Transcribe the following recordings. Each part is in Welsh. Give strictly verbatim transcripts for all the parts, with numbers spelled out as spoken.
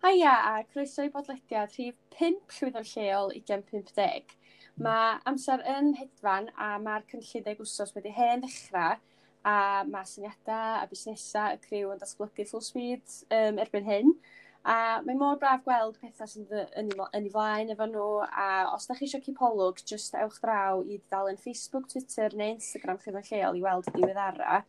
Haia a croeso i bodlediad rhif pump Llwyddo'n Lleol ugain pump deg. Mae amser yn hedfan a mae'r cynllun deg wsos wedi hen ddechrau a mae syniadau a busnesau y criw yn datblygu full speed um, erbyn hyn. A mae mor braf gweld pethau sy'n yn ei, yn ei flaen efo nhw, a os da chi eisiau cipolwg, jyst ewch draw i dudalen Facebook, Twitter neu Instagram Llwyddo'n Lleol i weld y diweddara.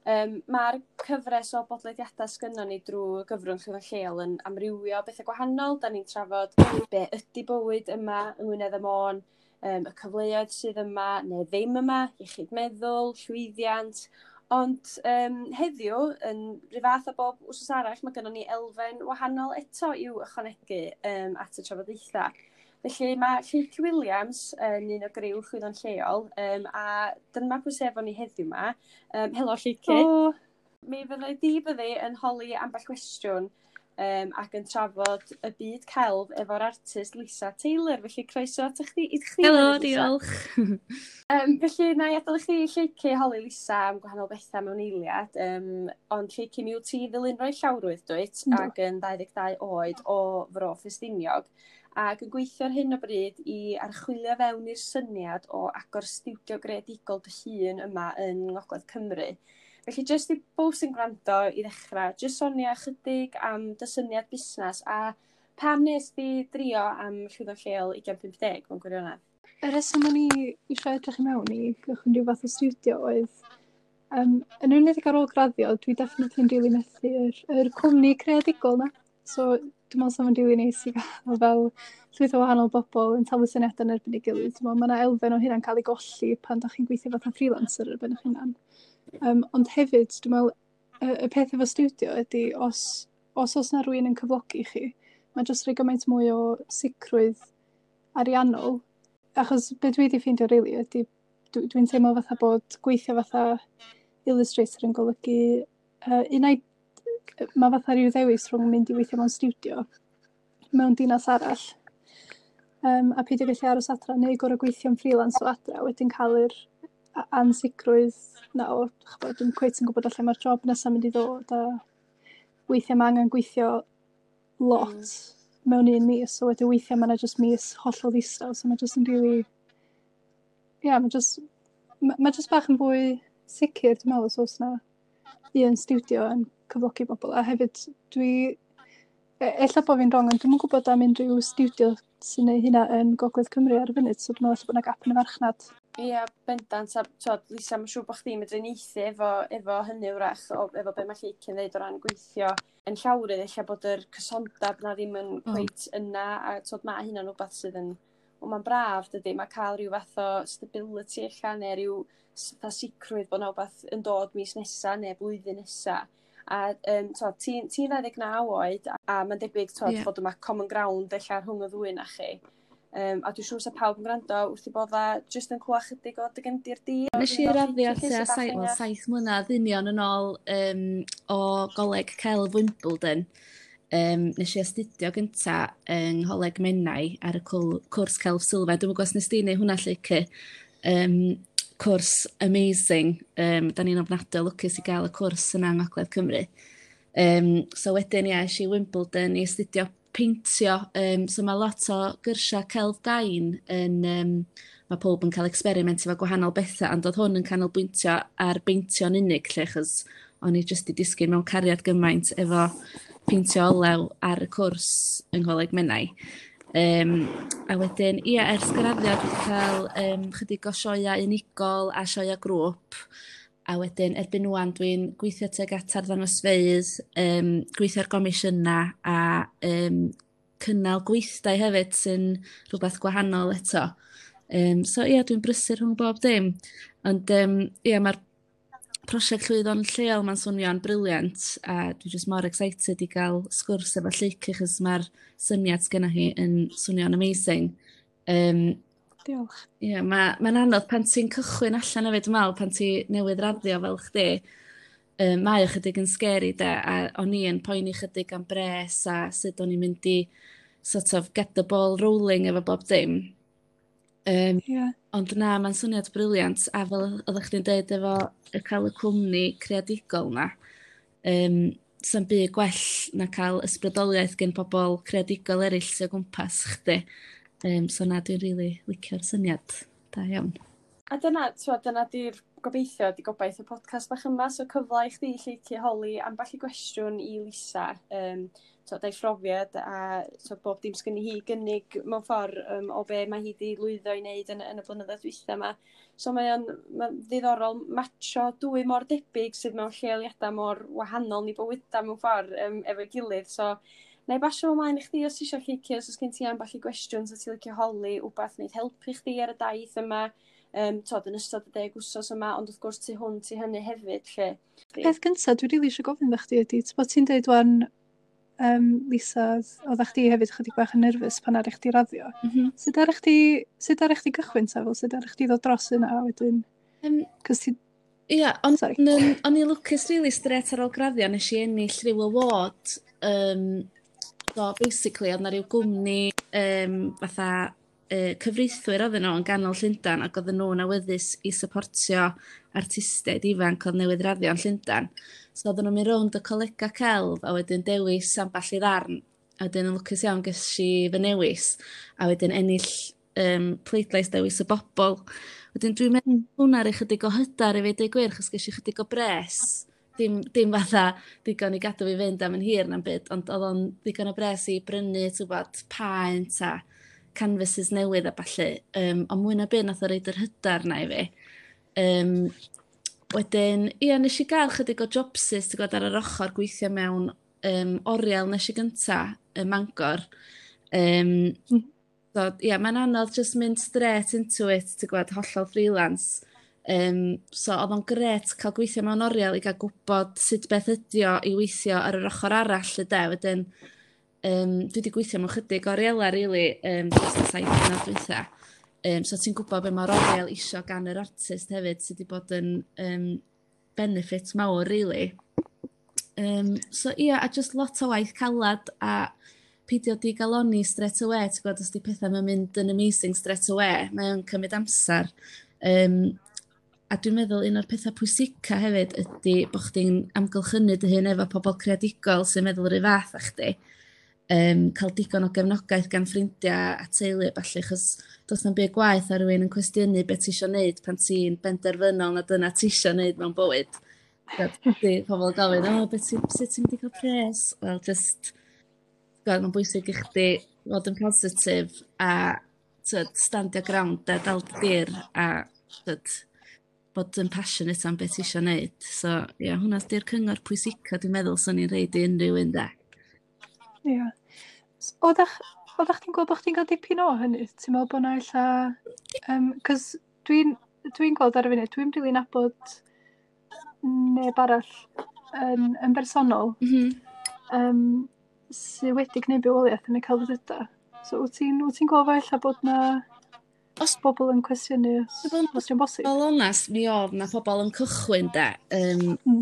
Um, Mae'r cyfres o bodlediadau sgynnon ni drwy gyfrwng Llwyddo'n Lleol yn amrywio bethau gwahanol. Da ni'n trafod be ydy bywyd yma yng Ngwynedd a Môn, um, y cyfleoedd sydd yma neu ddim yma, iechyd meddwl, llwyddiant. Ond um, heddiw, yn rhyw fath o bob wsos arall, mae gennym ni elfen wahanol eto i'w ychwanegu um, at y trafodaethau. Felly mae Lleucu Williams yn un o griw Llwyddo'n Lleol, um, a dyma pwy sy efo ni heddiw yma. Um, helo Lleucu. O. Mi fyddai di byddi yn holi ambell gwestiwn um, ac yn trafod y byd celf efo'r artist Lisa Taylor. Felly croeso at chdi, i chdi. Helo, Lisa. Diolch. Um, felly na i adael i chdi, Lleucu, holi Lisa am gwahanol bethau mewn eiliad. Um, ond Lleucu, mi wyt ti ddylunwraig llawrwydd, dwyt, Yndw. ac yn dau ddeg dau oed o Fro Ffestiniog, ac yn gweithio ar hyn o bryd i archwilio fewn i'r syniad o agor stiwdio greadigol dy hun yma yng Ngogledd Cymru. Felly, jyst i bobl sy'n gwrando i ddechrau, jyst sonia chydig am dy syniad busnes a pam nes di drio am Llwyddo'n Lleol ugain pump deg mewn gwirionedd? Y rheswm o'n i eisiau edrych i mewn i gychwyn rhyw fath o stiwdio oedd, um, yn enwedig ar ôl graddio, dwi definitely yn rili methu yr, yr cwmni creadigol na. So, dwi'n meddwl sa'n rili neis i gael fel llwyth o wahanol bobl yn taflu syniadau yn erbyn ei gilydd. Dwi'n meddwl mae yna elfen o hynna'n cael ei golli pan da chi'n gweithio fatha freelancer ar ben eich hunan. Um, ond hefyd, dwi'n meddwl, y, y peth efo stiwdio ydy, os, os oes na rhywun yn cyflogi chi, mae jyst rhoi gymaint mwy o sicrwydd ariannol. Achos be dwi wedi ffeindio rili ydy, dwi, dwi'n teimlo fatha bod gweithio fatha illustrator yn golygu, uh, unai mae fatha rhyw ddewis rhwng mynd i weithio mewn stiwdio mewn dinas arall, um, a peidio gallu aros adra, neu gorfod gweithio'n freelance o adra, wedyn cael yr a- ansicrwydd na o, ch'bod, dwi'm cweit yn gwybod lle mae'r job nesaf mynd i ddod, a weithiau mae angen gweithio lot mm. mewn un mis, so wedyn weithiau mae yna jyst mis hollol ddistaw, so mae jyst yn rili, ie, yeah, mae jyst, ma, ma jyst bach yn fwy sicr, dwi'n meddwl, os oes na un stiwdio yn cyflogi bobl, a hefyd dwi, e- ella bo fi'n wrong, ond dwi'm yn gwybod am unrhyw stiwdio sy'n neud hynna yn Gogledd Cymru ar y funud, so dwi'n meddwl ella bod 'na gap yn y farchnad. Ie, bendant, a t'wod, Lisa, mae'n siŵr bod chdi'n medru uniaethu efo, efo hynny wrach, o, efo be mae Lleucu'n dweud o ran gweithio yn llawrydd, ella bod yr cysondeb na ddim yn Mm. cweit yna, a t'wod, mae hynna'n rhywbeth sydd yn, wel, mae'n braf, dydy, mae cael rhyw fath o stability ella, neu rhyw s- fatha sicrwydd bod 'na wbath yn dod mis nesa neu blwyddyn nesa. A um, t'wod, ti'n ti dau ddeg naw oed, a mae'n debyg, t'wod, Ie. bod yma common ground ella rhwng y ddwy na chi. Um, a dwi'n siŵr sa pawb yn gwrando wrth i bodda jyst yn clywed chydig o dy gefndir di. Nes i raddio Lleucu, tua sut bach saith, wel, ehangach? saith mlynedd union yn ôl um, o Goleg Celf Wimbledon. Um, nes i astudio gynta yng Ngholeg Menai ar y cwl- cwrs Celf Sylfaen. Dwi'm yn gwybod os nes di neud hwnna, Lleucu. Um, cwrs amazing. Um, da ni'n ofnadwy o lwcus i gael y cwrs yna yng Ngogledd Cymru. Um, so wedyn, ia, es i Wimbledon i astudio peintio. Um, so mae lot o gyrsiau celf gain yn... Um, mae pob yn cael experiment efo gwahanol bethau, ond oedd hwn yn canolbwyntio ar beintio'n unig, lle, achos o'n i jyst i disgyn mewn cariad gymaint efo peintio olew ar y cwrs yng Ngholeg Menai. Um, a wedyn, ia, ers graddio dwi wedi cael um, chydig o sioeau unigol a sioeau grŵp. A wedyn, erbyn ŵan, dwi'n gweithio tuag at arddangosfeydd, um, gweithio ar gomisiynau a um, cynnal gweithdai hefyd sy'n rhywbeth gwahanol eto. Um, so ia, dwi'n brysur rhwng bob dim. Ond um, ia, mae'r prosiect Llwyddo'n Lleol ma'n swnio'n brilliant, a dwi jyst mor excited i gael sgwrs efo Lleucu, achos mae'r syniad sgenna hi yn swnio'n amazing. Um, Diolch. Ie, ma' mae'n anodd pan ti'n cychwyn allan hefyd, dwi'n meddwl, pan ti newydd raddio fel chdi. Um, mae o chydig yn scary de, a o'n i yn poeni chydig am bres a sut o'n i'n mynd i sort of get the ball rolling efo bob dim. Um, Ie. Ond na, mae'n syniad brilliant, a fel oeddech chdi'n deud efo y cael y cwmni creadigol na, um, Sa'm byd gwell na cael ysbrydoliaeth gen pobl creadigol eraill sy'n o gwmpas chdi. Um, so na, dwi'n rili licio'r syniad. Da iawn. A dyna, t'wod, dyna di'r gobeithio, di gobaith y podcast bach yma, so cyfle i chdi Lleucu holi ambell i gwestiwn i Lisa, um, t'wod, ei phrofiad a t'wod, bob dim sgynni hi gynnig mewn ffordd um, o be mae hi wedi lwyddo i wneud yn, yn y blynyddoedd dwytha yma. So mae o'n ma ddiddorol matcho dwy mor debyg sydd mewn lleoliadau mor wahanol ni bywydau mewn ffordd um, efo'i gilydd. So, na i basio ymlaen i chdi os ti eisiau, Lleucu, os oes gen ti ambell i gwestiwn sydd ti'n licio holi, wbath wneud helpu chdi ar y daith yma, um, t'wod, yn ystod y deg wsos yma, ond wrth gwrs tu hwnt i hynny hefyd, lle. Peth gyntaf dwi'n rili eisiau gofyn iddo chdi ydy, bod ti'n deud wan, um, Lisa, oeddech chdi hefyd chydig bach yn nerfus pan ar chdi raddio. Mm -hmm. Sut ar chdi, sut ar chdi gychwyn ta, fel sut ar chdi ddod dros yna a wedyn? Um, Cos ti... Ia, ond Sorry. um, o'n i lwcus really straight ar ôl graddio, nes i ennill rhyw award. Um, so basically, oedd na rhyw gwmni um, fatha uh, cyfreithwyr oedden nhw yn ganol Llundain ac oedden nhw'n awyddus i supportio artistiaid ifanc oedd newydd raddio yn Llundain. So oedden nhw'n mynd rownd y colega celf a wedyn dewis ambell i ddarn. A wedyn yn lwcus iawn ges i fy newis a wedyn ennill um, pleidlais dewis y bobl. Wedyn dwi'n meddwl Mm. hwnna roi chydig o hyder i fi deud gwir, achos ges i chydig o bres. Dim, dim fatha digon i gadw fi fynd am yn hir na'n byd, ond oedd o'n ddigon o bres i brynu, ti'n gwbod, paent a canvases newydd a ballu. Um, ond mwy na byd nath o roid yr hyder na i fi. Um, wedyn, ia, nes i gael chydig o jobsys, ti'n gwbod, ar yr ochr gweithio mewn um, oriel nes i gynta ym Mangor. Um, Mm. so, ia, mae'n anodd just mynd straight into it, ti'n gwbod, hollol freelance. Um, so oedd o'n gret cael gweithio mewn oriel i gael gwybod sut beth ydi o i weithio ar yr ochr arall y de. Wedyn, um, dwi wedi gweithio mewn chydig orielau, really, um, dros y saith mlynedd dwytha. Um, so ti'n gwybod be mae'r oriel isio gan yr artist hefyd, sydd wedi bod yn um, benefit mawr, really. Um, so ia, a just lot o waith calad a peidio digaloni straight away, ti'n gwybod, os di pethau mae'n mynd yn amazing straight away, mae'n cymryd amser. Um, a dwi'n meddwl un o'r pethau pwysica hefyd ydy bod chdi'n amgylchynu dy hun efo pobl creadigol sy'n meddwl yr un fath â chdi. Um, cael digon o gefnogaeth gan ffrindiau a teulu a ballu, achos does na'm byd gwaeth ar rywun yn cwestiynu beth ti isio neud pan ti'n benderfynol na dyna ti isio neud mewn bywyd. Di pobl yn gofyn, "O, beth ti, sut ti'n mynd i gael pres?" Wel, just, gweld, mae'n bwysig i chdi fod yn positif a tyd, stand your ground a dal dy dir a tyd, bod yn passionate am beth ti isio neud. So, ie, yeah, hwnna di'r cyngor pwysica dwi'n meddwl swn i'n rhoid i unrhyw un de. Ie. S- Oeddech oeddech chdi'n gweld bod chdi'n cael dipyn o hynny? Ti'n meddwl bod 'na ella... Um, Cos dwi'n dwi'n gweld ar y funud, dwi'n rili nabod neb arall yn, yn bersonol Mm -hmm. um, sydd wedi gwneud bywoliaeth yn y celfyddydau. So wyt ti'n wyt ti'n gweld ella bod na Os bobl yn cwestiynu os, Dwi'n bod os di'n bosib? Fel onast, mi oedd na pobl yn cychwyn de. Um, Mm.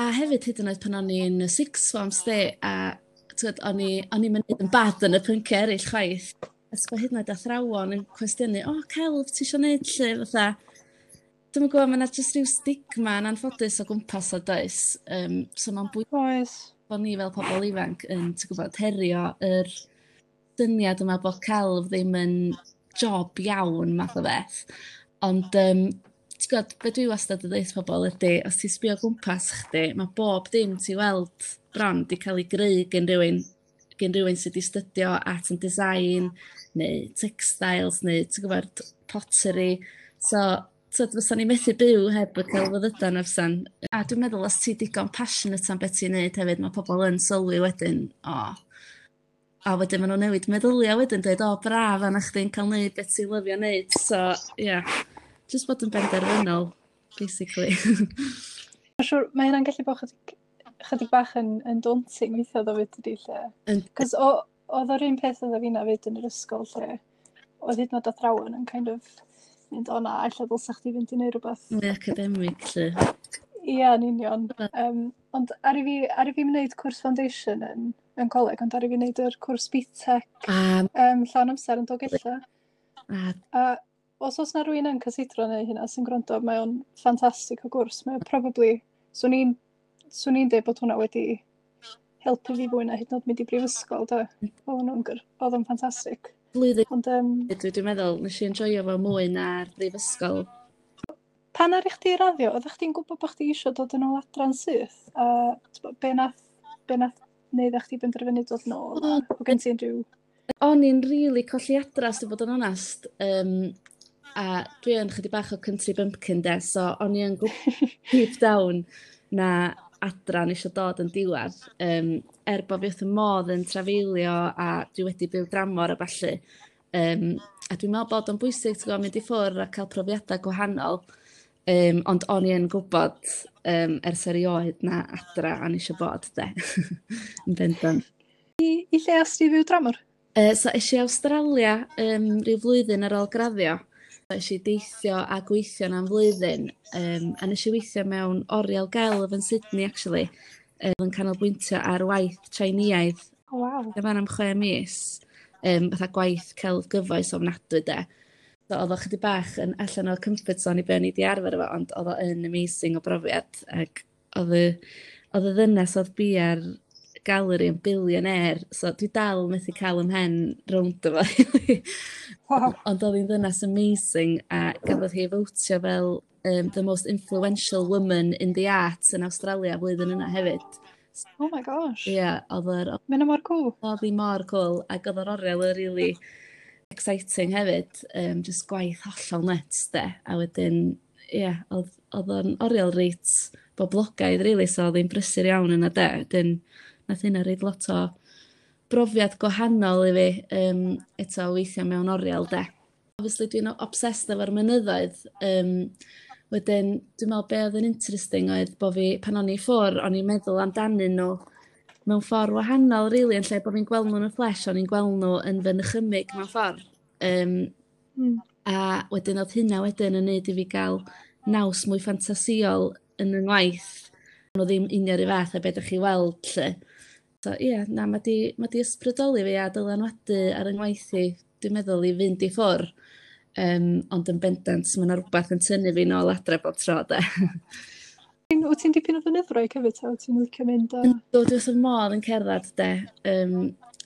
A hefyd hyd yn oed pan o'n i'n y sixth form sti, a t'wod, o'n i o'n i'n mynd yn bad yn y pynciau eraill chwaith. A ti'n hyd yn oed athrawon yn cwestiynu, "O, celf, ti isio neud lle?" Fatha, dwi'm yn gwybod, mae 'na jyst rhyw stigma yn anffodus o gwmpas o does. Um, so mae'n bwysig Oes. bod ni fel pobl ifanc yn, ti'n gwybod, herio yr syniad yma bod celf ddim yn job iawn math o beth. Ond um, ti'n gwybod, be dwi wastad yn dweud pobl ydy, os ti'n sbio o gwmpas chdi, mae bob dim ti weld bron di cael ei greu gen rhywun, gen rhywun sydd wedi stydio art and design, neu textiles, neu ti'n gwybod, pottery. So, tyd, fysa ni methu byw heb y celfyddydau na fysan. A dwi'n meddwl os ti digon passionate am beth ti'n neud hefyd, mae pobl yn sylwi wedyn, o, a wedyn maen nhw'n newid meddyliau wedyn, dweud, "O, braf, a na chdi'n cael neud beth ti'n lyfio neud." So, ie, yeah, just bod yn benderfynol, basically. Mae'n siŵr, mae hynna'n gallu bod chydig, chydig bach yn, yn daunting weithiau ddo fyd ydi lle. Yn- Cos oedd o'r un peth oedd fi na fyd yn yr ysgol lle oedd hyd yn oed athrawon yn kind of mynd, "O na, ella dylsa chdi fynd i neud rhywbeth." Mwy academic, lle. Ia, yn union. Um, ond ar i fi, ar i fi wneud cwrs foundation yn, yn coleg, ond ar i fi wneud yr cwrs B TEC A, um, llawn amser yn Dolgellau. a A os oes na rhywun yn cysidro neu hynna sy'n gwrando, mae o'n ffantastig o gwrs. Mae o probably, swn i'n swn i'n deud bod hwnna wedi Helpu fi fwy na hyd yn oed mynd i brifysgol, de. Oedden nhw'n gyr, oedd o'n ffantastig. Blwyddyn Ond um, dwi dwi'n meddwl, nes i enjoyo fo mwy na'r brifysgol. Pan ar i chdi raddio, oeddech chdi'n gwybod bod chdi eisiau dod yn ôl adra'n syth? A t'bo, be nath, be nath neud a chdi benderfynu dod nôl? A o gen ti unrhyw? O'n i'n rili colli adra, os dwi'n bod yn onast. Um, a dwi yn chydig bach o country bumpkin de, so o'n i yn gwybod deep down na adra o'n eisiau dod yn diwedd. Um, er bod fi wrth y modd yn trafeilio a dwi wedi byw dramor a ballu. Um, a dwi'n meddwl bod o'n bwysig, ti'n gwbod, mynd i ffwrdd a cael profiadau gwahanol. Um, ond o'n i yn gwybod um, ers erioed na adra o'n eisiau bod, de. Yn bendant. I, i lle as ti fyw dramor? Uh, so es i Awstralia um, rhyw flwyddyn ar ôl graddio. So, es i deithio a gweithio am flwyddyn. Um, a nes i weithio mewn oriel gelf yn Sydney, actually. Um, yn canolbwyntio ar waith Chinaidd. Oh, waw. Fan am chwe mis. Um, fatha gwaith celf gyfoes ofnadwy, de. So, oedd o chydig bach yn allan o'r comfort zone i be o'n i 'di arfer efo, ond oedd o yn amazing o brofiad. Ac oedd y, oedd y ddynes oedd bia'r galeri yn billionaire, so dwi dal methu cael 'y mhen rownd efo. Waw. Ond oedd hi'n ddynes amazing a gafodd hi fowtio fel um, the most influential woman in the arts yn Australia flwyddyn yna hefyd. Oh my gosh. Ie, yeah, oedd yr Mae hynna mor cool. Oedd hi mor cool ac oedd yr oriel yn really exciting hefyd. Um, just gwaith hollol nuts, de. A wedyn, ie, yeah, oedd, oedd o'n oriel reit boblogaidd, really, so oedd hi'n brysur iawn yna, de. Wedyn, nath hynna roid lot o brofiad gwahanol i fi, um, eto weithio mewn oriel, de. Obviously, dwi'n obsessed efo'r mynyddoedd. Um, wedyn, dwi'n meddwl be oedd yn interesting oedd bo fi, pan o'n i ffwr, o'n i'n meddwl amdanyn nhw mewn ffordd wahanol, really, yn lle bod fi'n gweld nhw yn y flesh, o'n i'n gweld nhw yn fy nychymyg mewn ffordd. Um, Mm. A wedyn oedd hynna wedyn yn neud i fi gael naws mwy ffantasïol yn y ngwaith. Nhw ddim union yr un fath a beth ydych chi weld, lle. So ie, yeah, na, mae di, ma di ysbrydoli fi a dylanwadu ar yng ngwaith i, dwi'n meddwl, i fynd i ffwr. Um, ond yn bendant, mae yna rhywbeth yn tynnu fi nôl adre bob tro, de. Wyt ti'n dipyn o fynyddwraig hefyd, ta? Wyt ti'n licio mynd a? Yndw, dwi wrth fy modd yn cerdded, de. Um,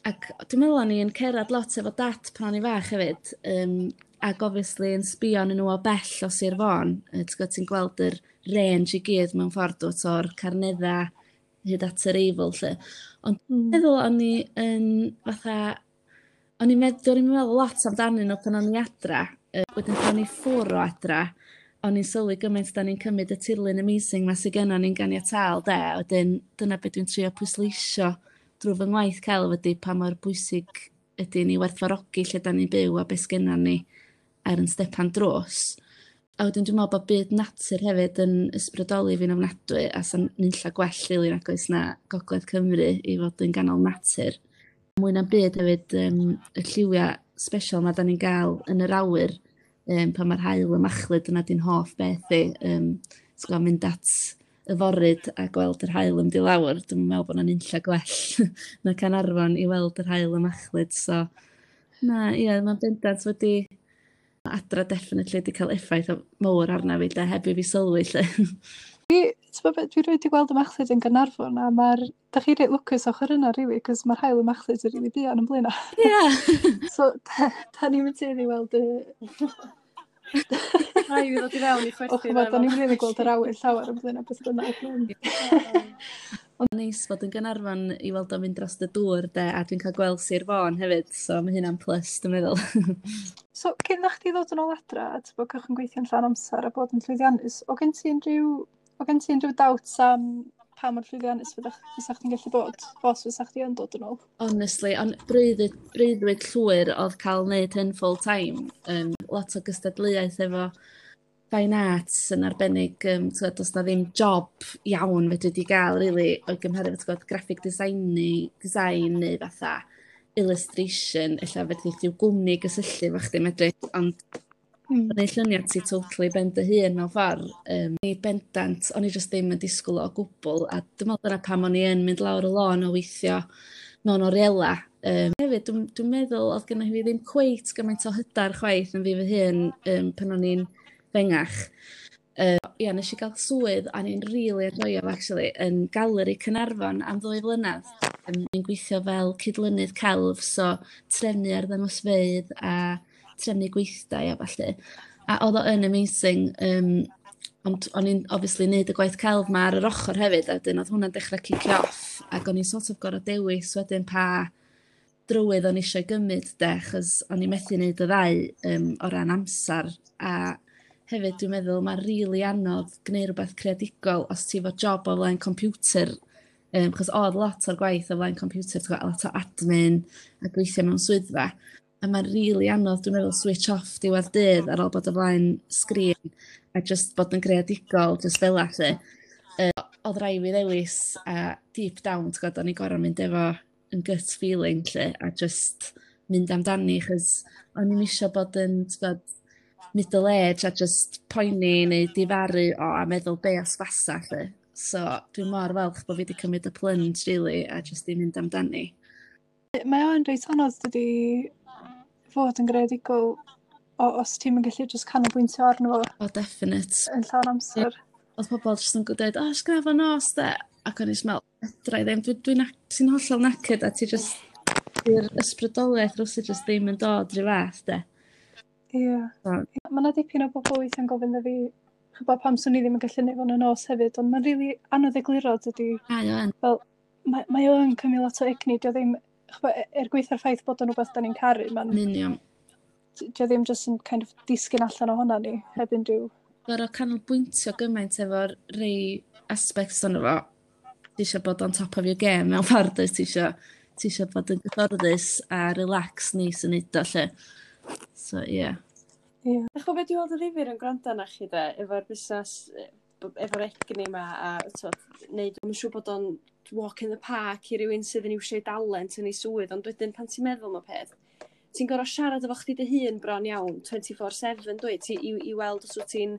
ac dwi'n meddwl o'n i yn cerdded lot efo dad pan o'n i fach hefyd. Um, ac obviously yn sbio arnyn nhw o bell o Sir Fôn. Yy, Ti'n gwybod, ti'n gweld yr range i gyd mewn ffordd dwt o'r Carnedda hyd at yr Eifl, lle. Ond Mm. meddwl o'n i yn fatha, o'n i'n meddwl, o'n i'n meddwl lot amdanyn nhw pan o'n i adra. Yy, wedyn pan o'n i ffwr o adra, o'n i'n sylwi gymaint da ni'n cymryd y tirlun amazing ma sydd gennon ni'n ganiataol, de. Wedyn dyna beth dwi'n trio pwysleisio drwy fy ngwaith celf ydy pa mor bwysig ydy ni werthfawrogi lle da ni'n byw a beth sgennon ni ar yn stepan drws. A wedyn dwi'n meddwl bod byd natur hefyd yn ysbrydoli fi'n ofnadwy a sa'n nunlla gwell rili nag oes na Gogledd Cymru i fod yn ganol natur. Mwy na'n byd hefyd um, y lliwiau special ma da ni'n gael yn yr awyr um, pan mae'r haul yn machlud, dyna di'n hoff beth i. Um, ti'n gwbod, mynd at y foryd a gweld yr haul yn mynd i lawr, dwi'n meddwl bod 'na nunlla gwell na Caernarfon i weld yr haul yn machlud. So, na, ie, mae'n bendant wedi adra definitely wedi cael effaith o- mawr arna fi, de, heb i fi sylwi, lle. Dwi, ti'n gwbod be, dwi rioed 'di gweld y machlud yn Gaernarfon a mae'r, da chi reit lwcus ochr yna, rili, cos mae'r haul yn machlud yn rili buan yn Blaenau. Ie! So, da, da ni'n mynd tueddu i weld y Rhaid i fi ddod i fewn i O, chwerthin. ch'mod, da ni'n rili gweld yr awyr llawer yn Blaenau beth bynnag. Ond neis fod yn Gaernarfon i weld o'n mynd dros y dŵr, de, a dwi'n cael gweld Sir Fôn hefyd, so mae hynna'n plus, dwi'n meddwl. So, cyn na chdi ddod yn ôl adra, a ti'n bod cychwyn gweithio'n llawn amser a bod yn llwyddiannus, o gen ti unrhyw, o gen ti unrhyw doubts am pa mor llwyddiannus fyddach, fysa chdi'n gallu bod, os fysa chdi yn dod yn ôl? Honestly, ond breuddwyd, breuddwyd llwyr oedd cael wneud hyn full time. Um, lot o gystadleuaeth efo fine arts yn arbennig, um, t'wod, does na ddim job iawn fedri di gael, really, o'i gymharu efo, t'gwbod, graphic design, neu design neu fatha illustration, ella fedri di gwmni gysylltu efo chdi medru, ond Mm. gwneud lluniau ti totally ben dy hun mewn ffordd. Um, ni bendant, o'n i just ddim yn disgwyl o gwbl, a dwi'n meddwl dyna pam o'n i yn mynd lawr y lôn o weithio mewn oriela. Um, hefyd, dwi'n dwi meddwl oedd genna fi ddim cweit gymaint o hyder chwaith yn fi fy hun um, pan o'n i'n fengach. Uh, ia, nes i gael swydd, a ni'n really enjoyo fo, actually, yn Galeri Caernarfon am ddwy flynedd. Dwi'n gweithio fel cydlynydd celf, so trefnu arddangosfeydd a trefnu gweithdai a ballu. A oedd o yn amazing, um, ond o'n i'n obviously neud y gwaith celf 'ma ar yr ochr hefyd, a wedyn oedd hwnna'n dechrau cicio off, ac o'n i'n sort of gorfod dewis wedyn pa drywydd o'n i eisiau gymryd de, achos o'n i methu neud y ddau um, o ran amser, a hefyd dwi'n meddwl mae'n rili really anodd gwneud rhywbeth creadigol os ti efo job o flaen computer, um, achos oedd lot o'r gwaith o flaen computer, ti'n gwbod, lot o admin a gweithio mewn swyddfa, a mae'n rili really anodd, dwi'n meddwl, switch off diwedd dydd ar ôl bod o flaen sgrin a just bod yn greadigol, just fel 'a 'lly. Uh, oedd rhaid fi ddewis a deep down, ti'n gwybod, o'n i gorfod mynd efo yn gut feeling 'lly, a just mynd amdani, achos o'n i'm isio bod yn, ti'n gwbod, middle age a just poeni neu difaru o a meddwl be os fasa 'lly. So dwi'n mor falch bod fi wedi cymryd y plunge really a just i mynd amdani. Mae o'n reit anodd dydi fod yn greadigol o, os ti'm yn gallu just canolbwyntio arno fo O, definite. yn llawn amser. Oedd pobl jyst yn dweud, "O, oh, sgrafo nos de." Ac o'n i jyst meddwl, fedra i ddim, dwi'n dwi, dwi ti'n hollol knackered a ti just, di'r ysbrydoliaeth rwsut just ddim yn dod rhyw fath de. Ie. So, Mae yna dipyn o bobl weithiau'n gofyn iddo fi, ch'bo, pam swn i ddim yn gallu neud fo'n y nos hefyd, ond mae'n rili anodd egluro dydi. Mae o yn. Fel, mae, mae o yn cymryd lot o egni, dio ddim, ch'bo, e- er gwaetha'r ffaith bod o'n rhywbeth da ni'n caru, mae'n, Yn union. dio ddim jyst yn kind of disgyn allan ohona ni, heb unrhyw. Gorfod canolbwyntio gymaint efo'r rei aspects ono fo. Ti eisiau bod on top of your game mewn ffordd, dwyt? Ti eisiau ti eisiau bod yn gyfforddus a relax neis yn neud o 'lly. So, ie. Yeah. Ie. Dach chi'n beth dwi'n weld yn ddifyr yn gwrando arna chi de, efo'r busnes, e, b- efo'r egni yma, a t'od, neud, mae'n siŵr bod o'n walk in the park i rywun sydd yn iwsio ei dalent yn ei swydd, ond wedyn pan ti'n meddwl am y peth, ti'n gorfod siarad efo chdi dy hun bron iawn, twenty-four seven, dwyt, ti, i, i weld os wyt ti'n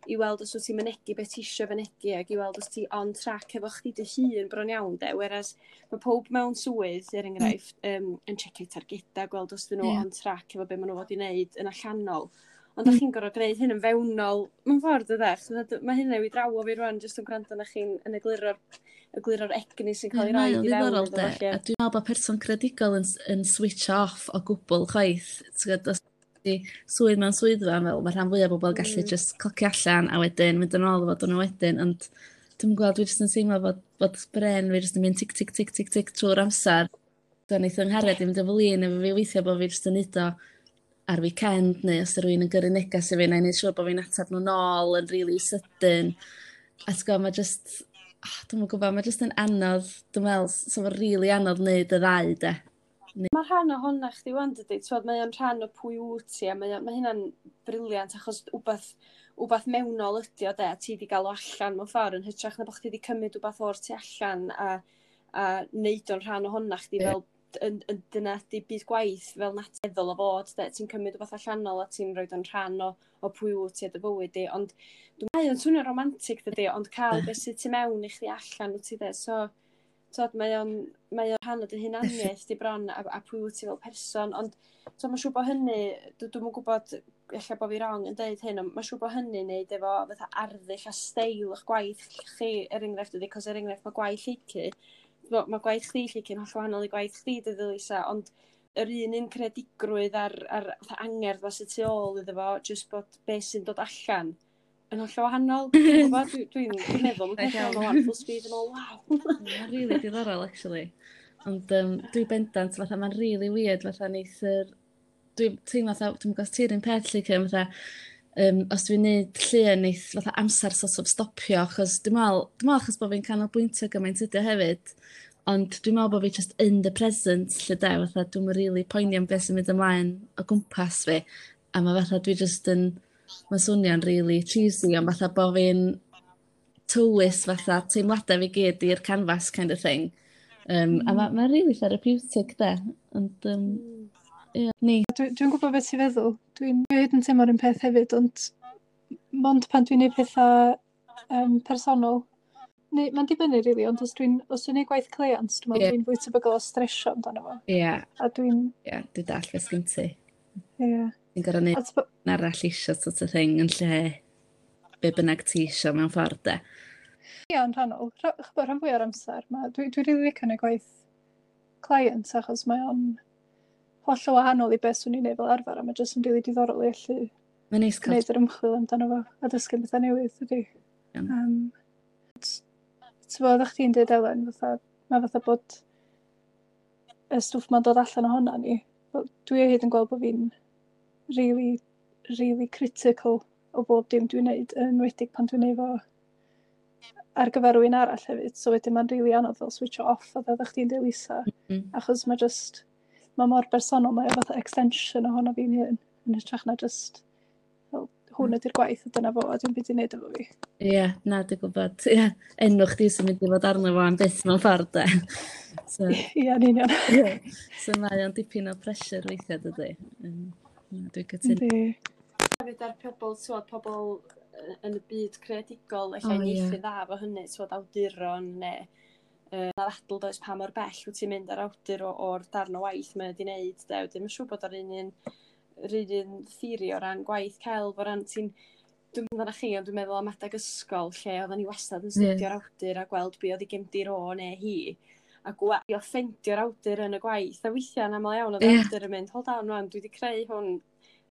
i weld os wyt ti'n mynegi beth ti isio fynegi ac i weld os ti on track efo chdi dy hun bron iawn, de. Whereas mae pob mewn swydd, er enghraifft, um, yn checio targedau, gweld os dyn nhw Ie. on track efo be maen nhw fod i wneud yn allanol. Ond mm. chi'n gorfod gwneud hyn yn fewnol, mewn ffordd ydych. Mae hynna i drawo fi rwan, jyst yn gwrando na chi'n yn egluro'r egluro'r egni sy'n cael ei Mae roi o'n i fewn ddiddorol iddo de. fo, lly. A dwi'n meddwl bod person creadigol yn, yn switch off o gwbl chwaith. Ti'n gwbod, os ti swydd mewn swyddfa, fel mae rhan fwyaf o bobl gallu Mm. just clocio allan a wedyn mynd yn ôl fod nhw wedyn, ond dwi'n gweld, dwi jyst yn teimlo fod, fod bren fi jyst yn mynd tic tic tic tic tic trwy'r amser. So neith yng nghariad i fynd yn flin efo fi weithio bod fi jyst yn neud o ar weekend neu os yw rhywun yn gyrru negas i fi, na i neud siŵr bod fi'n ateb nhw nôl yn really sydyn. A ti'n gwybod, mae just, oh, dwi'm yn gwybod, mae just yn anodd, dwi'n meddwl, so fo'n really anodd wneud y ddau, de. Mae rhan ohona chdi wan, dydy. T'wod, mae o'n rhan o pwy wyt ti, a mae, o- mae hynna'n brilliant, achos wbath, wbath mewnol ydi o, de, a ti di gael o allan mewn ffordd, yn hytrach na bod chdi di cymryd wbath o'r tu allan a, a neud o'n rhan ohona chdi Ie. fel yn, yn, dyna ydi byd gwaith fel naturiol o fod, de, ti'n cymryd wbath allanol a ti'n rhoi o'n rhan o, o pwy wyt ti a dy fywyd di, ond dwi'n meddwl o'n swnio romantic dydy, ond cael beth sydd tu mewn i chdi allan wyt ti de, so t'od, mae o'n mae o'n rhan o dy hunaniaeth di bron a, a pwy wyt ti fel person, ond so mae'n siŵr bod hynny, dwi- dwi'm yn gwybod, ella bod fi wrong yn deud hyn, ond mae'n siŵr bod hynny'n neud efo fatha arddull a steil eich gwaith chi, er enghraifft ydy, cos er enghraifft mae gwaith Lleucu, mae ma gwaith chdi Lleucu yn holl wahanol i gwaith chdi dydy Lisa, ond yr un un creadigrwydd a'r, ar fatha angerdd fa sydd tu ôl iddo fo, jyst bod beth sy'n dod allan yn holl wahanol. Dwi'n gwybod, dwi'n dwi, dwi meddwl, mae'n peth fel o'n full speed yn ôl, waw. Mae'n really diddorol, actually. Ond um, dwi bendant, fatha, mae'n really weird, fatha, neith yr... Dwi'n teimlo fatha, dwi'n gwybod ti'r un peth, lle, fatha, um, os dwi'n neud llun, neith fatha amser sort of stopio, achos dwi'n meddwl, dwi'n meddwl achos bod fi'n canolbwyntio gymaint ydi o hefyd, ond dwi'n meddwl bod fi just in the present, lle de, fatha, dwi'n really poeni am beth sy'n mynd ymlaen o gwmpas fi, a mae fatha dwi just yn, mae'n swnio'n really cheesy, ond fatha bod fi'n tywys fatha teimladau fi gyd i'r canvas kind of thing. Um, mm. A mae'n ma really therapeutic de. Ond, um, yeah, ni. Dwi, dwi'n gwybod beth ti'n feddwl. Dwi'n dwi hyd yn teimlo'r un peth hefyd, ond mond pan dwi'n neud pethau um, personol. Neu, mae'n dibynnu, really, ond os dwi'n os dwi'n neud gwaith cleiant, dwi'n meddwl Ie. dwi'n fwy tebygol o stresio amdano fo. Ie, yeah, A dwi'n, ie, yeah, dwi'n dall beth sgyn ti. ie. Yeah. Ti'n gorfod neud A t'bo- arall isio sort of thing yn lle be bynnag ti isio mewn ffordd de. Ie, yn rhannol. Rha- Ch'bo, rhan fwy o'r amser. Ma, dwi, dwi rili licio neud gwaith client, achos mae o'n hollol wahanol i beth swn i'n neud fel arfer, a mae jyst yn rili diddorol i allu Mae'n neis cael gwneud yr ymchwil amdano fo a dysgu bethau newydd, ydy. Iawn. Um, Ti'n bod, oeddech chdi'n dweud, Elen, fatha, mae fatha bod y stwff ma'n dod allan ohona ni. Wel, dwi o hyd yn gweld bod fi'n really, really critical o bob dim dwi'n neud, yn enwedig pan dwi'n neud fo ar gyfer rhywun arall hefyd. So wedyn mae'n really anodd fel switch off, fatha oeddech chdi'n dweud, Lisa. Mm. Achos mae just, mae mor bersonol, mae o fatha extension ohono fi'n hun, yn hytrach na just, fel, hwn ydy'r gwaith a dyna fo, a dim byd i wneud efo fi. Ie, yeah, na, dwi'n gwybod. Ie, yeah, enw chdi sy'n mynd i fod arno fo am byth mewn ffordd, de. So, Ie, yn union. yeah. So mae o'n dipyn o pressure weithiau, dydy. Um, na, dwi'n cytuno. Yndi. Hefyd ar pobl, t'wod, pobl yy yn y byd creadigol, ella O, oh, ie. uniaethu dda efo hynny, t'wod, awduron neu uh, na ddadl does pa mor bell wyt ti'n mynd ar awdur o, o'r darn o waith mae wedi wneud, de. Wedyn mae'n siŵr bod o'r un un, yr un un theori o ran gwaith celf, o ran ti'n, dwi'n meddwl chi, ond dwi'n meddwl am adeg ysgol lle oedden ni wastad yn Ie. studio'r awdur a gweld be oedd ei gefndir o neu hi a gwa- i offendio'r awdur yn y gwaith. A weithiau yn aml iawn oedd yr Ie. awdur yn mynd, "Hold on rwan, dwi wedi creu hwn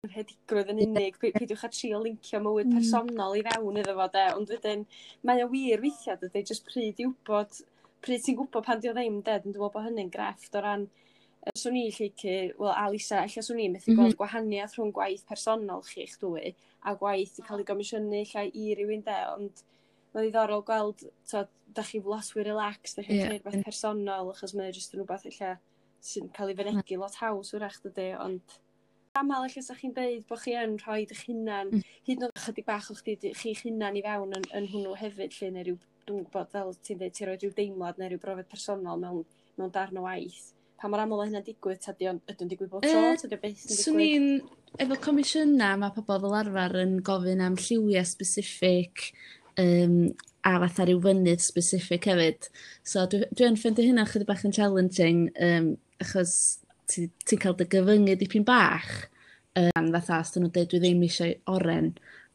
rhedigrwydd yn unig, pi- peidiwch â trio lincio mywyd Mm. personol i fewn iddo fo, de." Ond wedyn, mae o wir weithiau, dydy, jyst pryd i wybod, pryd ti'n gwybod pan di o ddim, de. Dwi'n meddwl bod hynny'n grefft o ran, yy, swn i llecu, wel, a Lisa, ella swn i'n methu Mhm. gweld gwahaniaeth rhwng gwaith personol chi'ch dwy a gwaith 'di cael ei gomisiynu ella i rywun, de, ond mae'n ddiddorol gweld, t'od, da chi lot fwy relaxed, da chi'n Ie. creu rhywbeth personol, achos mae o jyst yn rhywbeth ella sy'n cael ei fynegi lot haws wrach, dydy, ond aml ella sa chi'n deud bod chi yn rhoi eich hunan, Mm. hyd yn oed chydig bach o chdi, chi'ch hunan i fewn yn, yn hwnnw hefyd, lle, neu ryw, dwi'n gwybod, fel ti'n deud, ti'n rhoi rhyw deimlad neu ryw brofiad personol mewn, mewn darn o waith. Pa mor aml mae hynna'n digwydd, ta di o'n, ydy o'n digwydd bob tro, Yy, ta di o byth yn Swn digwydd? i'n, efo comisiynau, mae pobl fel arfer yn gofyn am lliwiau specific um, a fatha rhyw fynydd specific hefyd. So dwi, dwi yn ffeindio hynna chydig bach yn challenging, um, achos ti'n ti cael dy gyfyngu dipyn bach. Um, fatha, os dyn nhw'n dweud dwi ddim eisiau oren,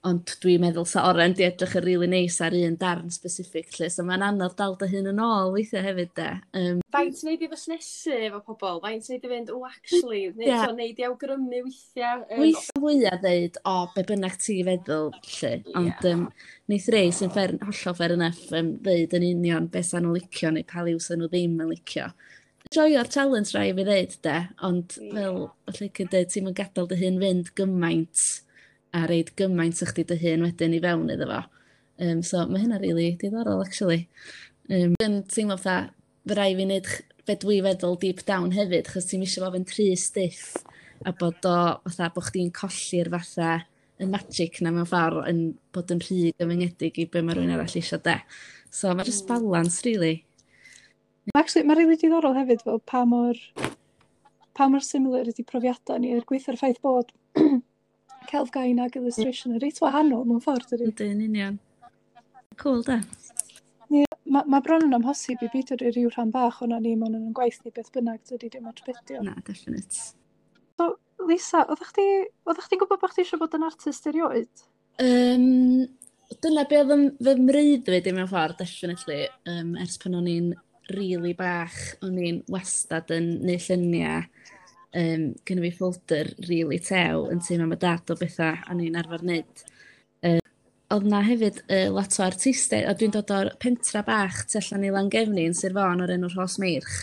ond dwi'n meddwl sa oren di edrych yn really neis ar un darn specific lle. So mae'n anodd dal dy hun yn ôl weithiau hefyd, de. Um, Faint wneud i fusnesu efo pobl? Faint wneud i fynd, "Oh, actually," neu Ie. yeah. Wneud i awgrymu weithiau? Um, Weithiau fwyaf ddeud, "O, be bynnag ti feddwl," lle. Ond um, neith rei sy'n fair, hollol fair enough um, ddeud yn union beth sa'n nhw'n licio neu pa liw sa'n nhw ddim yn licio. Joio'r challenge rai fi ddeud, de, ond Ie. fel, falle cyn dweud, ti'n mynd gadael dy hun fynd gymaint a reid gymaint o chdi dy hun wedyn i fewn iddo fo. Um, so mae hynna really diddorol, actually. Um, yn teimlo fatha, fy rai fi wneud ch- be dwi feddwl deep down hefyd, chos ti'n isio fo fynd rhy stiff a bod o, fatha, bod chdi'n colli'r fatha y magic na mewn ffordd yn bod yn rhy gyfyngedig i be mae rhywun arall eisiau, de. So mae just Mm. balance, really. Actually, mae'n rili diddorol hefyd fel pa mor, pa mor similar ydy profiadau ni, er gweithio'r ffaith bod celf gain ag illustration yn reit wahanol mewn ffordd, dydy. Ydy, yn union. Cool, de. Mae ma bron yn amhosib i beidio rhoi rhyw rhan bach o'na ni mewn yn gwaith ni beth bynnag, dydy, dim ots beth o. Na, definite. So, Lisa, oeddech chdi, oeddech chdi'n gwybod bod chdi eisiau bod yn artist erioed? Um, dyna be oedd yn fy mreuddwyd i mewn ffordd, definitely. Um, ers pan o'n i'n really bach, o'n i'n wastad yn neud lluniau. Um, Gynna fi folder really tew yn tŷ mam a dad o bethau o'n i'n arfer wneud. Uh, oedd na hefyd uh, lot o artistiaid, a dwi'n dod o'r pentra bach tu allan i Langefni yn Sir Fôn o'r enw Rhosmeirch.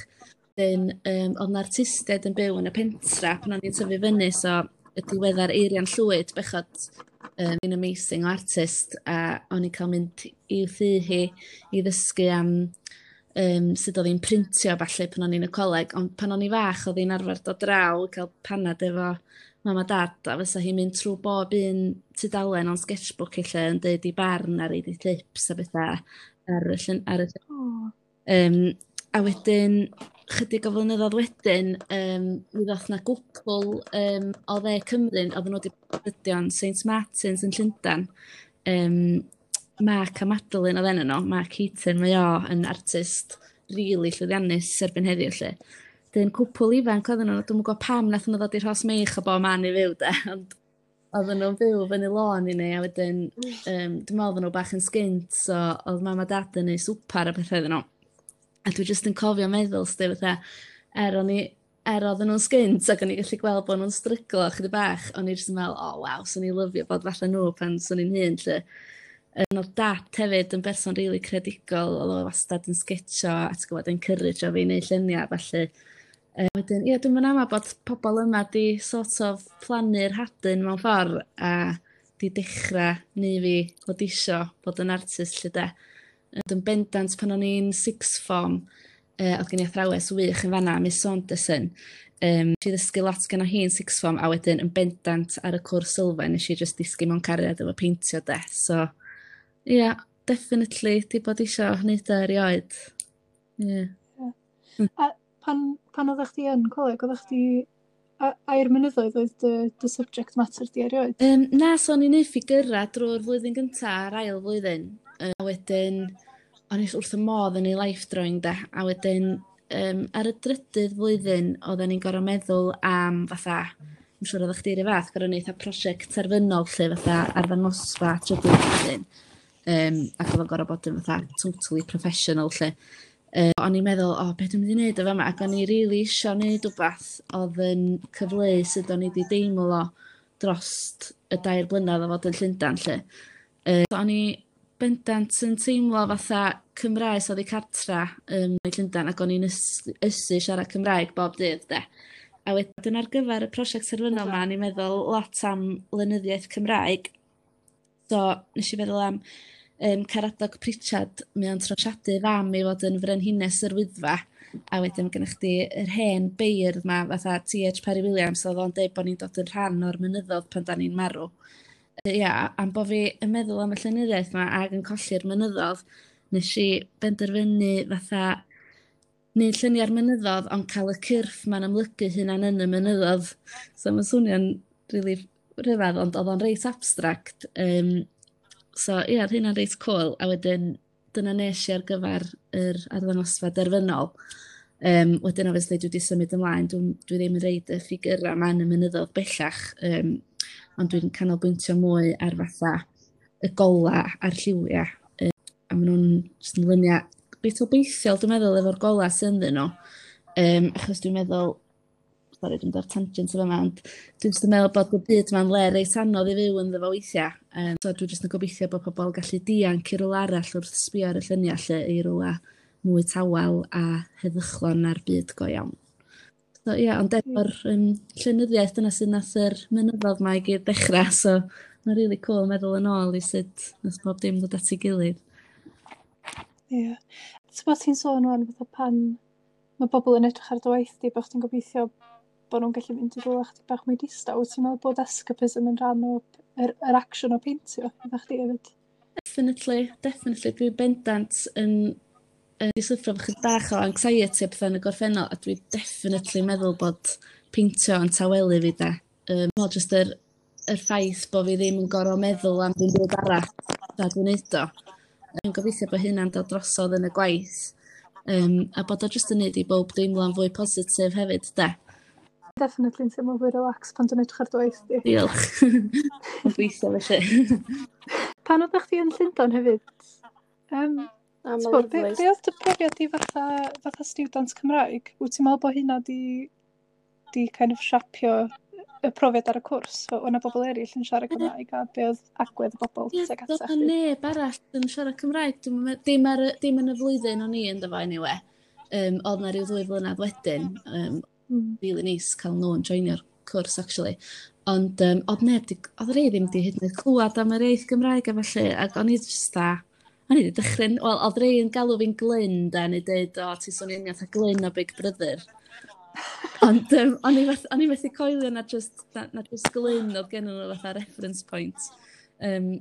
Wedyn, um, oedd na artistiaid yn byw yn y pentra pan o'n i'n tyfu fyny, so y diweddar Eirian Llwyd, bechod, um, yn amazing o artist, a o'n i'n cael mynd i'w thŷ hi i ddysgu am um, sut oedd hi'n printio falle pan o'n i'n y coleg, ond pan o'n i fach oedd hi'n arfer dod draw i cael panad efo mam a dad, a fysa hi'n mynd trwy bob un tudalen o'n sketchbook lle yn deud i barn ar ei tips a bethau ar y llun, ar y Oh. Um, a wedyn, chydig o flynyddoedd wedyn, um, mi ddoth na gwpl um, o dde Cymru, oedden nhw wedi bod Saint Martins yn Llundain. Um, Mark a Madeline oedd enw nhw, Mark Heaton, mae o yn artist really llwyddiannus erbyn heddiw lle. Dyn cwpl ifanc oedden nhw, dwi'm yn gwybod pam nath nhw ddod i'r Rhosmeirch o bob man i fyw, de, ond oedden nhw'n byw fyny lôn i ni, a wedyn, um, dwi'n meddwl oedden nhw bach yn sgint, so oedd mam a dad yn neud swpar a pethau iddyn nhw. A dwi jyst yn cofio meddwl, sti, fatha, Er o'n i, er oedden nhw'n sgint ac o'n i gallu gweld bod nhw'n stryglo chydig bach, o'n i jyst yn meddwl, "Oh waw, swn i'n lyfio bod fatha nhw pan swn i'n hŷn," 'lly. Yym o'dd dad hefyd yn berson rili creadigol, o'dd o wastad yn sgetsio a ti'n gwbod, encourage-o fi i neud llunia' a ballu. Yy wedyn ie, dwi'm yn ama bod pobol yma 'di sort of plannu'r hadyn mewn ffordd a 'di dechra neu' fi fod isio bod yn artist 'lly 'de. Ond yn bendant pan o'n i'n sixth form, yy o'dd gen i athrawes wych yn fanna, Miss Saunderson. Yym nes i ddysgu lot gynno hi yn sixth form a wedyn yn bendant ar y cwrs sylfaen nes i jyst disgyn mewn cariad efo peintio 'de. So ia, definitely 'di bod isio neud o erioed. Ie. Ie. A pan pan oeddach chdi yn coleg, oeddach chdi a ai'r mynyddoedd oedd dy dy subject matter di erioed? Yym na, so o'n i'n neud ffigyra drwy'r flwyddyn gynta a'r ail flwyddyn. Yy a wedyn o'n i wrth 'y modd yn neud life drawing 'de, a wedyn yym ar y drydydd flwyddyn oedden ni'n gor'o' meddwl am fatha, dwi'n siŵr oeddach chdi 'r un fath, gor'o' neud fatha prosiect terfynol 'lly, fatha arddangosfa trydydd flwyddyn. Yym ac o'dd o'n gor'o' bod yn fatha totally professional 'lly. Yy o'n i'n meddwl, "O, be' dwi'n mynd i neud efo 'ma?" Ac o'n i rili isio neud wbath o'dd yn cyfleu sut o'n i 'di deimlo drost y dair blynedd o fod yn Llundan 'lly. Yy o'n i bendant yn teimlo fatha Cymraes oddi cartra yn Llundan ac o'n i'n ys- ysu siarad Cymraeg bob dydd 'de. A wedyn ar gyfer y prosiect terfynol 'ma o'n i'n meddwl lot am lenyddiaeth Cymraeg. So nes i feddwl am yym Caradog Prichard, mae o'n trosiadu fam i fod yn frenhines yr Wyddfa, a wedyn gennych chdi yr hen beirdd 'ma fatha T H Parry Williams, oedd o'n deud bod ni'n dod yn rhan o'r mynyddodd pan 'dan ni'n marw. Yy ia, am bo' fi yn meddwl am y llenyddiaeth 'ma ac yn colli'r mynyddodd, nes i benderfynu fatha neud lluniau'r mynyddodd ond cael y cyrff 'ma'n amlygu hunan yn y mynyddodd. So ma'n swnio'n rili rhyfedd, ond oedd o'n reit abstract. Um, so ie, oedd hynna'n reit cool. A wedyn dyna nes i ar gyfer yr arddangosfa derfynol. Um, wedyn obviously dwi wedi symud ymlaen, dwi, dwi ddim yn reid y ffigurau yma yn y mynyddodd bellach, um, ond dwi'n canolbwyntio mwy ar fatha y gola a'r lliwiau. Um, a maen nhw'n jyst yn luniau reit obeithiol, dwi'n meddwl, efo'r gola sy'n ynddyn nhw. Um, achos dwi'n meddwl, sori, dwi'n dod ar tangent yn fama, ond dwi'n jyst yn meddwl bod y byd ma'n le reit anodd i fyw ynddo fo weithiau. Um, so dwi jyst yn gobeithio bod pobl yn gallu dianc i rywle arall wrth sbio ar y lluniau lle, i rywle mwy tawel a heddychlon na'r byd go iawn. So ie, yeah, ond efo'r um, llenyddiaeth dyna sydd nath yr mynyddodd ma i gyd ddechrau, so mae'n really cool meddwl yn ôl i sut nath bob dim ddod at ei gilydd. Ie. Yeah. Ti'n ti'n sôn wan fatha pan mae bobl yn edrych ar dy waith di, bod chdi'n gobeithio bod nhw'n gallu mynd i rhywle chydig bach mwy distaw. Wyt ti'n meddwl bod escapism yn rhan o yr, yr action o peintio efo chdi hefyd? Definitely, definitely. Dwi bendant yn yn di syffro efo chydig bach o anxiety a pethau yn y gorffennol, a dwi definitely meddwl bod peintio yn tawelu fi de. Um, jyst yr, yr ffaith bod fi ddim yn gorfod meddwl am dim byd arall tra dwi'n neud o. Dwi'n gobeithio bod hynna'n dod drosodd yn y gwaith. Um, a bod o jyst yn neud i bob deimlo'n fwy positif hefyd, de. Definitely yn teimlo fwy relax pan dwi'n edrych ar dy waith di. Diolch. Yn gweithio felly. Pan oeddech chdi yn Llundain hefyd, um, Be, be, be oedd dy profiad di fatha, fatha student Cymraeg? Wyt ti'n meddwl bod hynna di, di kind of siapio y profiad ar y cwrs? Fel, o'na bobl eraill yn siarad Cymraeg a be oedd agwedd y bobl Ie, tuag doedd atach 'na chdi? neb arall yn siarad Cymraeg. Dwi'm yn me- dim, ar, y- dim yn y flwyddyn o'n i ynddo fo anyway. Um, oedd na ryw ddwy flynedd wedyn. Um, Mm. really neis cael nhw yn joinio'r cwrs actually. Ond um, oedd neb di, oedd rei ddim di hyd yn oed clywed am yr iaith Gymraeg a felly, ac o'n i jyst da, o'n i wedi dychryn, wel, oedd rei yn galw fi'n Glyn da, neu dweud, "O, ti'n swnio'n union fatha Glyn o Big Brother." Ond um, o'n i feth, o'n i methu coelio na just, na, na just Glyn oedd gen nhw fatha reference point. Um,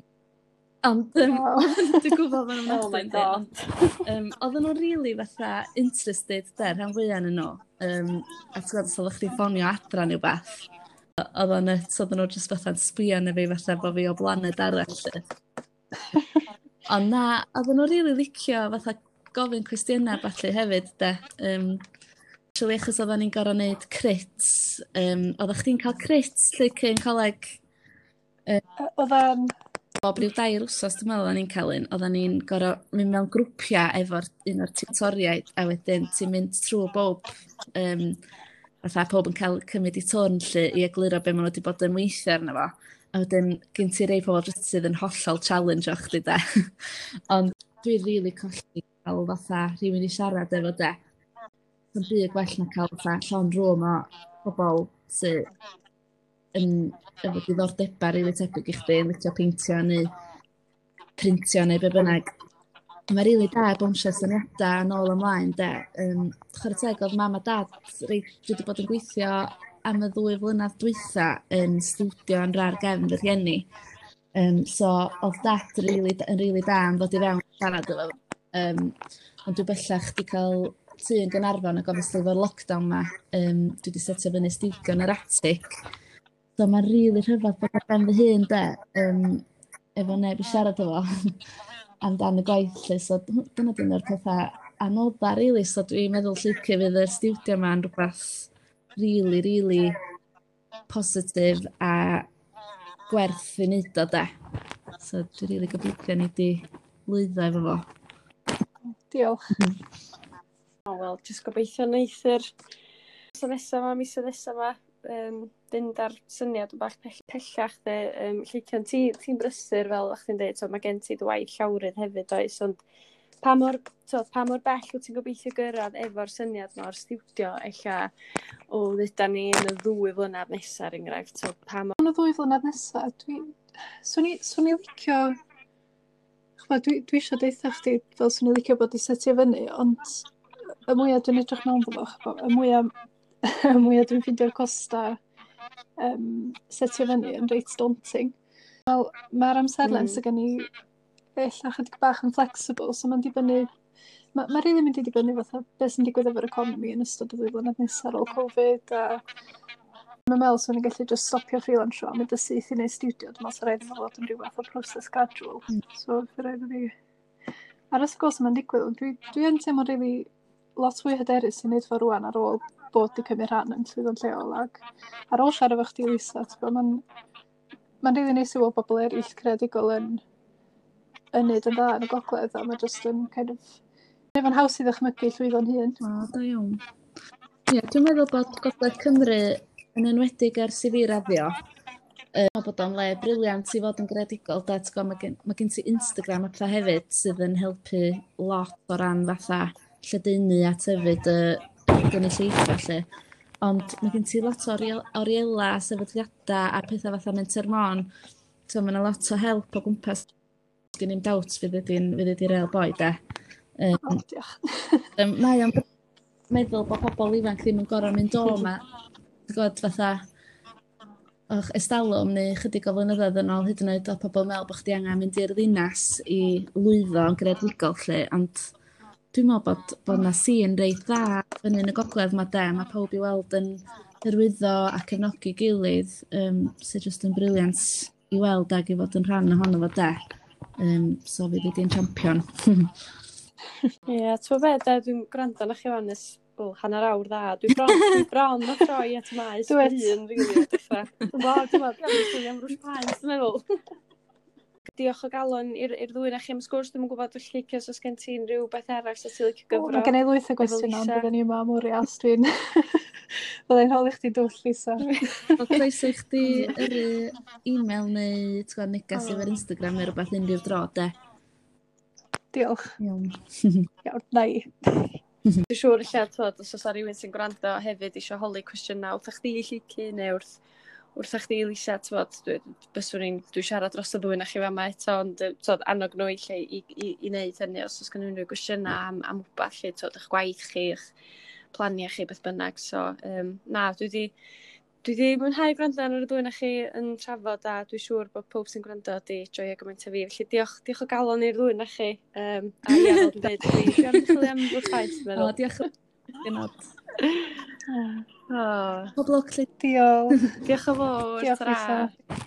ond um, Wow. dwi'n gwybod ma'n Oh my ofnadwy, yndi, God. ond um, oedden nhw'n really fatha interested de, rhan fwyaf yn nhw. Um, a ti'n gwybod, os oeddech chdi ffonio adra neu beth, oedd o'n nuts, oedden nhw just fatha'n sbio arna fi fatha bod fi o blaned arall, 'lly. Ond na, oedden nhw'n really licio fatha gofyn cwestiynau ballu hefyd, de. Um, actually, achos oedden ni'n gorfod neud crits. Um, oeddech chdi'n cael crits lle cyn coleg? Oedd o'n Bob ryw dair wsos dwi'n meddwl o'n ni'n cael un, oedden ni'n gorfod mynd mewn grwpiau efo'r un o'r tiwtoriaid, a wedyn ti'n mynd trwy bob, um, fatha pob yn cael cymryd i turn 'lly i egluro be maen nhw wedi bod yn weithio arno fo. A wedyn gen ti rei pobl jyst sydd yn hollol challenge o chdi de. Ond dwi'n rili really colli cael fatha rhywun i siarad efo de. Mae'n byd gwell na cael fatha llond room o pobl sydd yn efo diddordebau rili tebyg i chdi, yn licio peintio neu printio neu be bynnag. Mae rili da bownsio syniadau yn ôl ymlaen de. Um, chwarae teg, oedd mam a dad reit, dwi wedi bod yn gweithio am y ddwy flynedd dwytha yn stiwdio yn rar gefn fy rhieni. Um, so oedd dad really, yn rili da am ddod i fewn siarad efo. Um, ond dwi bellach wedi cael tŷ yn Gaernarfon ac obviously efo'r lockdown ma, um, dwi wedi setio fyny stiwdio yn yr atig. So mae'n rili rhyfedd bod ar ben fy hun de, um, efo neb i siarad efo amdan y gwaith 'lly. So dyna dyn o'r pethau anodda rili. So dwi'n meddwl Lleucu fydd y stiwdio yma yn rhywbeth rili, rili positif a gwerth i wneud o de. So dwi'n rili gobeithio ni di lwyddo efo fo. Diolch. O, wel, jyst gobeithio neith yr misoedd nesa 'ma, misoedd nesa 'ma, um, fynd ar syniad yn bach pell, pellach de. Um, Lleucian, ti, ti'n brysur fel o'ch chi'n dweud, so mae gen ti dy waith llawrydd hefyd oes, ond pa mor, so, pa mor bell wyt ti'n gobeithio gyrraedd efo'r syniad 'ma o'r stiwdio, ella o dduda ni yn y ddwy flynedd nesaf, er enghraifft, so, pa mor. Yn y ddwy flynedd nesaf, dwi... Swn i, swn i licio... Ch'mod, dwi, dwi eisiau deutha chdi fel swn i licio bod i setio fyny, ond y mwyaf dwi'n edrych mewn fo, ch'bo, y mwyaf, y mwyaf dwi'n ffeindio'r costa um, setio fyny yn reit daunting. Wel, mae'r amserlen mm. sydd gen i ella chydig bach yn flexible, so mae'n dibynnu... Mae ma rili mynd i dibynnu fatha beth sy'n digwydd efo'r economi yn ystod y ddwy flynedd nesaf ar ôl Covid a mae'n meddwl swn i'n gallu just stopio freelansio a mynd y syth i wneud studio. Dwi'n meddwl sy'n rhaid i fo fod yn rhyw fath o proses gradual. Mm. So, fydd rhaid i fi aros gweld sut mae'n digwydd. Ond dwi, dwi yn teimlo rili lot fwy hyderus i wneud fo rwan ar ôl bod wedi cymryd rhan yn llwyddo'n lleol ac ar ôl siarad efo chdi, Lisa, ti'n mae'n mae'n rili neis i weld bobl eraill creadigol yn yn neud yn dda yn y gogledd a mae just yn kind of neud fo'n haws i ddychmygu llwyddo'n hun. O, da iawn. Ie, dwi'n meddwl bod Gogledd Cymru yn enwedig ers i fi raddio, uh, bod o'n le brilliant i fod yn greadigol. Da, ti'n gwbod, mae gen, ma gen ti Instagram a pethau hefyd sydd yn helpu lot o ran fatha lledaenu a tyfu dy gynulleidfa 'lly. Ond mae gen ti lot o oriel, oriela, sefydliadau a pethau fatha Menter Môn. So mae yna lot o help o gwmpas. Gen i'm doubt fydd ydi'n fydd ydi real boi de. Um, oh, diolch. um, mae o'n meddwl bod pobl ifanc ddim yn gorfod mynd o yma. Ti'n gwybod, fatha, och, estalwm neu chydig o flynyddoedd yn ôl hyd yn oed oedd pobl yn meddwl bod chdi angen mynd i'r ddinas i lwyddo yn greadigol 'lly, ond dwi'n meddwl bod, bod 'na sîn reit dda fyny yn y gogledd 'ma de, mae pawb i weld yn hyrwyddo a cefnogi gilydd, um, sydd jyst yn brilliant i weld ag i fod yn rhan ohono fo de. Um, so fydd ydi'n champion. Ie, yeah, ti'n be, de, dwi'n gwrando arna chi wan ers, wel, hanner awr dda. Dwi bron, dwi bron o troi at maes Do it. fy hun, rili, a dechrau. Dwi'n bod, dwi'n bod, dwi'n chwilio am rwsh paent, dwi'n meddwl. Diolch o galon i'r i'r ddwy na chi am sgwrs. Dwi'm yn gwybod felly os oes gen ti unrhyw beth arall sy'n ti'n licio O, gyfro. mae gen i lwyth o efo gwestiynau, ond Lisa. byddwn ni yma am oriau os dwi'n... Byddai'n holi chdi dwll, Lisa. Wel, croeso i chdi yrru e-mail neu ti'n gwybod, negas efo'r Instagram neu rhywbeth unrhyw dro, de. Diolch. Iawn. Iawn, na i. Dwi'n siŵr ella, twod, os oes rhywun sy'n gwrando hefyd eisiau holi cwestiynau wrth chdi, Lleucu, neu wrth, wrth chdi, Lisa, twod, dwi, byswn i'n, dwi'n siarad dros y ddwy na chi fama eto, ond yy, twod, annog nhw i lle i, i, i wneud hynny os oes gen nhw unrhyw gwestiynau am, am wbath, lle, twod, eich gwaith chi, eich planiau chi, beth bynnag. So, um, na, dwi di, dwi di mwynhau gwrando ar y ddwy na chi yn trafod a dwi'n siŵr bod pob sy'n gwrando di joio gymaint o fi. Felly diolch, diolch o galon i'r ddwy na chi. Um, a ie, fel dwi'n dweud, dwi dwi am chwilio am rwsh paent, dwi'n O, meddwl. diolch yn fawr. Oh. Pob lwc, Lleucu. Diolch. Diolch yn fawr. Diolch, Ta-ra. Lisa.